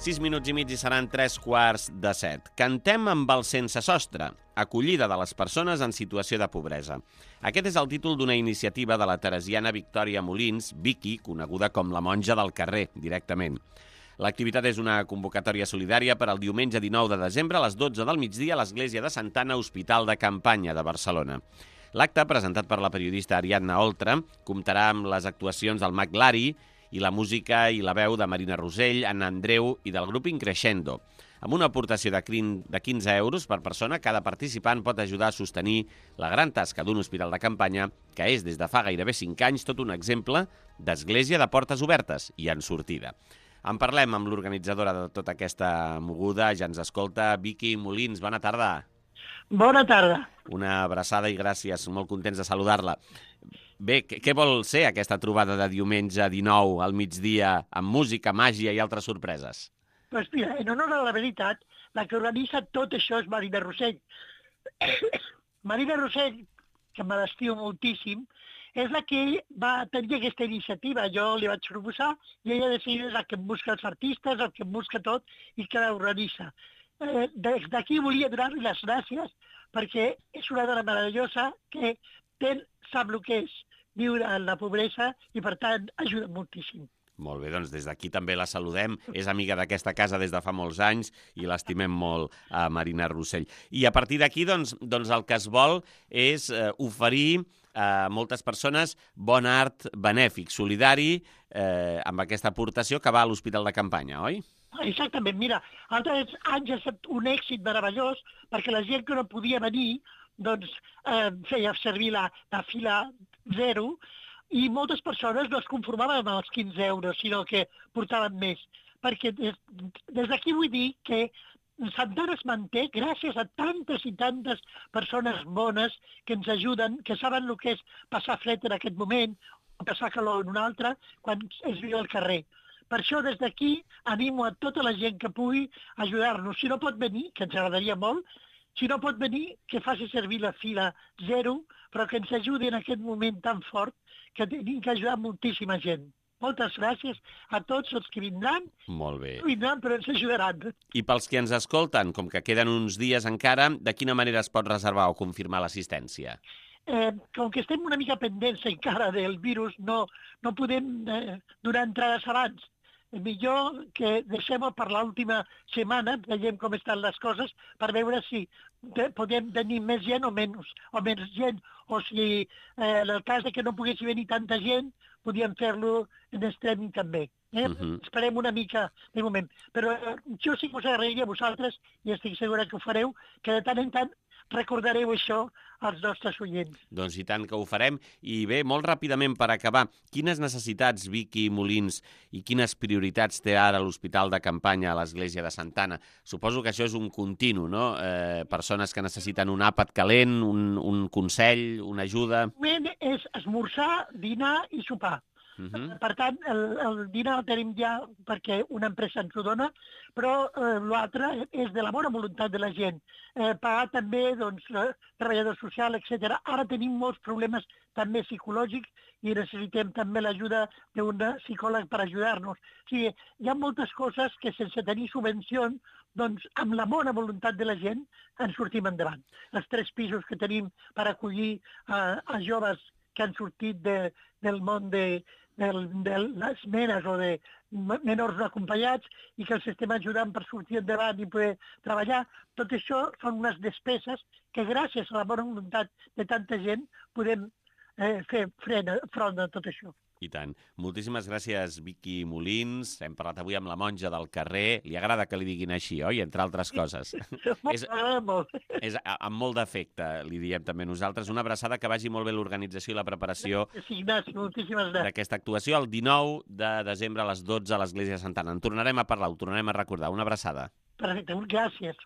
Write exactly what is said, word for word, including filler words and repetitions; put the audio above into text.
Sis minuts i mig i seran tres quarts de set. Cantem amb el sense sostre, acollida de les persones en situació de pobresa. Aquest és el títol d'una iniciativa de la teresiana Victòria Molins, Vicky, coneguda com la monja del carrer, directament. L'activitat és una convocatòria solidària per al diumenge dinou de desembre a les dotze del migdia a l'Església de Santa Anna, Hospital de Campanya de Barcelona. L'acte, presentat per la periodista Ariadna Oltra, comptarà amb les actuacions del Mag Lari i la música i la veu de Marina Rosell, Anna Andreu i del grup Increixendo. Amb una aportació de quinze euros per persona, cada participant pot ajudar a sostenir la gran tasca d'un hospital de campanya que és, des de fa gairebé cinc anys, tot un exemple d'església de portes obertes i en sortida. En parlem amb l'organitzadora de tota aquesta moguda, ja ens escolta, Vicky Molins. Bona tarda. Bona tarda. Una abraçada i gràcies, molt contents de saludar-la. Bé, què vol ser aquesta trobada de diumenge dinou al migdia amb música, màgia i altres sorpreses? Doncs mira, en honor a la veritat, la que organitza tot això és Marina Rosell. Marina Rosell, que me l'estimo moltíssim, és la que va tenir aquesta iniciativa. Jo li vaig proposar i ella decideix la que em busca els artistes, el que em busca tot i que l'organitza. Eh, des d'aquí volia donar-li les gràcies perquè és una dona meravellosa que ten, sap el que és viure en la pobresa i, per tant, ajuda moltíssim. Molt bé, doncs des d'aquí també la saludem. És amiga d'aquesta casa des de fa molts anys i l'estimem molt, a Marina Rosell. I a partir d'aquí, doncs, doncs el que es vol és eh, oferir a moltes persones bon art benèfic, solidari, eh, amb aquesta aportació que va a l'Hospital de Campanya, oi? Exactament, mira, altres anys ha estat un èxit meravellós perquè la gent que no podia venir doncs eh, feia servir la, la fila zero i moltes persones no es conformaven amb els quinze euros, sinó que portaven més. Perquè des, des d'aquí vull dir que Santa Anna es manté gràcies a tantes i tantes persones bones que ens ajuden, que saben el que és passar fred en aquest moment, o passar calor en un altre, quan es viu al carrer. Per això, des d'aquí, animo a tota la gent que pugui ajudar-nos. Si no pot venir, que ens agradaria molt, si no pot venir, que faci servir la fila zero, però que ens ajudi en aquest moment tan fort que tenim que ajudar moltíssima gent. Moltes gràcies a tots els que vindran. Molt bé. Vindran, però ens ajudaran. I pels que ens escolten, com que queden uns dies encara, de quina manera es pot reservar o confirmar l'assistència? Eh, com que estem una mica pendents encara del virus, no, no podem eh, donar entrades abans. Millor que deixem-ho per l'última setmana, veiem com estan les coses, per veure si podem tenir més gent o menys, o menys gent, o si eh, en el cas de que no poguessi venir tanta gent, podíem fer-lo en streaming també. Eh? Uh -huh. Esperem una mica de moment. Però eh, jo sí que us agrairia a vosaltres, i estic segura que ho fareu, que de tant en tant recordareu això als nostres oients. Doncs i tant que ho farem. I bé, molt ràpidament per acabar, quines necessitats, Vicky Molins, i quines prioritats té ara l'Hospital de Campanya a l'Església de Santa Anna? Suposo que això és un continu, no? Eh, persones que necessiten un àpat calent, un, un consell, una ajuda... És esmorzar, dinar i sopar. Uh -huh. Per tant, el, el dinar el tenim ja perquè una empresa ens ho dona, però eh, l'altre és de la bona voluntat de la gent. Eh, pagar també, doncs, eh, treballador social, etcètera. Ara tenim molts problemes també psicològics i necessitem també l'ajuda d'un psicòleg per ajudar-nos. O sigui, hi ha moltes coses que sense tenir subvencions, doncs amb la bona voluntat de la gent ens sortim endavant. Els tres pisos que tenim per acollir eh, a joves que han sortit de, del món de, de, de les menes o de menors no acompanyats i que els estem ajudant per sortir endavant i poder treballar. Tot això són unes despeses que gràcies a la bona voluntat de tanta gent podem eh, fer front a tot això. I tant. Moltíssimes gràcies, Vicky Molins. Hem parlat avui amb la monja del carrer. Li agrada que li diguin així, oi? Entre altres coses. és, molt. És amb molt d'afecte, li diem també nosaltres. Una abraçada, que vagi molt bé l'organització i la preparació d'aquesta actuació el dinou de desembre a les dotze a l'Església de Santa Anna. En tornarem a parlar, ho tornarem a recordar. Una abraçada. Perfecte, gràcies.